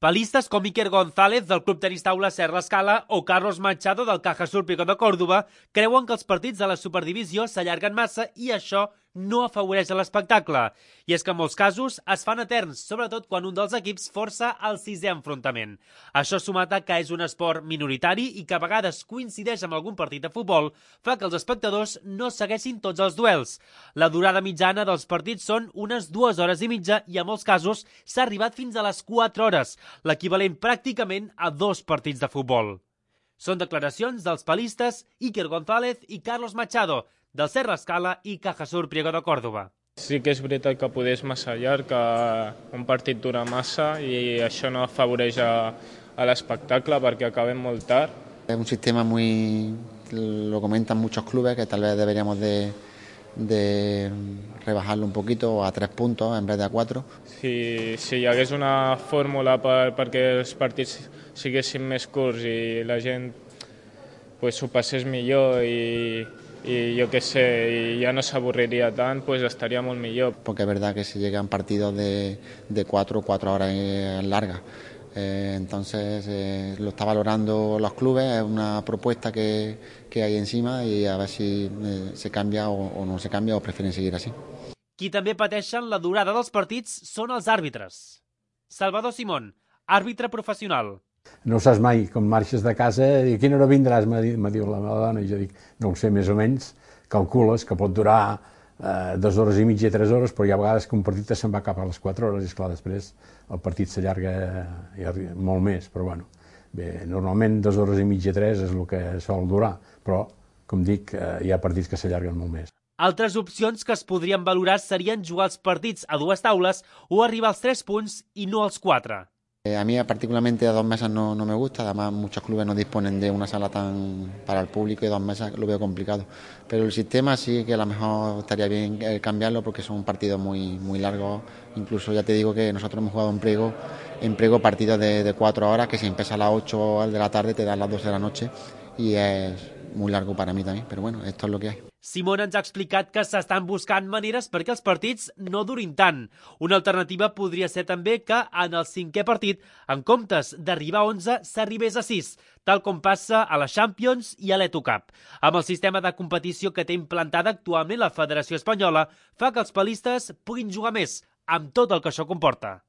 Pelistes com Iker González del Club Tenis Taula Serra Escala o Carlos Machado del Cajasur Pico de Córdoba creuen que els partits de la Superdivisió s'allarguen massa i això no afavoreix l'espectacle. I és que en molts casos es fan eterns, sobretot quan un dels equips força el sisè enfrontament. Això sumat a que és un esport minoritari i que a vegades coincideix amb algun partit de futbol, fa que els espectadors no segueixin tots els duels. La durada mitjana dels partits són unes 2 hores i mitja i en molts casos s'ha arribat fins a les 4 hores, l'equivalent pràcticament a 2 partits de futbol. Són declaracions dels pelistes Iker González i Carlos Machado, del Serra Escala i Cajasur Priego de Córdoba. Sí que és veritat que poder és massa llarg, que un partit dura massa i això no afavoreix a l'espectacle perquè acabem molt tard. Es un sistema lo comentan muchos clubes, que tal vez deberíamos de rebajarlo un poquito a 3 puntos en vez de a 4. Si hi hagués una fórmula perquè els partits siguessin més curts i la gent s'ho passés millor i yo qué sé, y ya no se aburriría tan, pues estaría muy mejor. Porque es verdad que se llegan partidos de 4 horas largas. Entonces lo está valorando los clubes, es una propuesta que hay encima y a ver si se cambia o no se cambia o prefieren seguir así. Qui també pateixen la durada dels partits són els àrbitres. Salvador Simón, àrbitre professional. No saps mai, com marxes de casa, i a quina hora vindràs, me diu la meva dona, i jo dic, no ho sé, més o menys, calcules que pot durar 2 hores i mitja, 3 hores, però hi ha vegades que un partit se'n va cap a les 4 hores, i esclar, després el partit s'allarga molt més, però bueno, bé, normalment 2 hores i mitja, 3 és el que sol durar, però, com dic, hi ha partits que s'allarguen molt més. Altres opcions que es podrien valorar serien jugar els partits a 2 taules o arribar als 3 punts i no als 4. A mí particularmente a 2 mesas no me gusta, además muchos clubes no disponen de una sala tan para el público y 2 mesas lo veo complicado. Pero el sistema sí que a lo mejor estaría bien cambiarlo porque son partidos muy largos. Incluso ya te digo que nosotros hemos jugado en prego partidos de 4 horas, que si empieza a las 8 de la tarde te dan las 12 de la noche y es muy largo para mí también, pero bueno, esto es lo que hay. Simón ens ha explicat que s'estan buscant maneres perquè els partits no durin tant. Una alternativa podria ser també que en el 5è partit, en comptes d'arribar a 11, s'arribés a 6, tal com passa a la Champions i a l'Eto Cup. Amb el sistema de competició que té implantada actualment la Federació Espanyola, fa que els pelistes puguin jugar més, amb tot el que això comporta.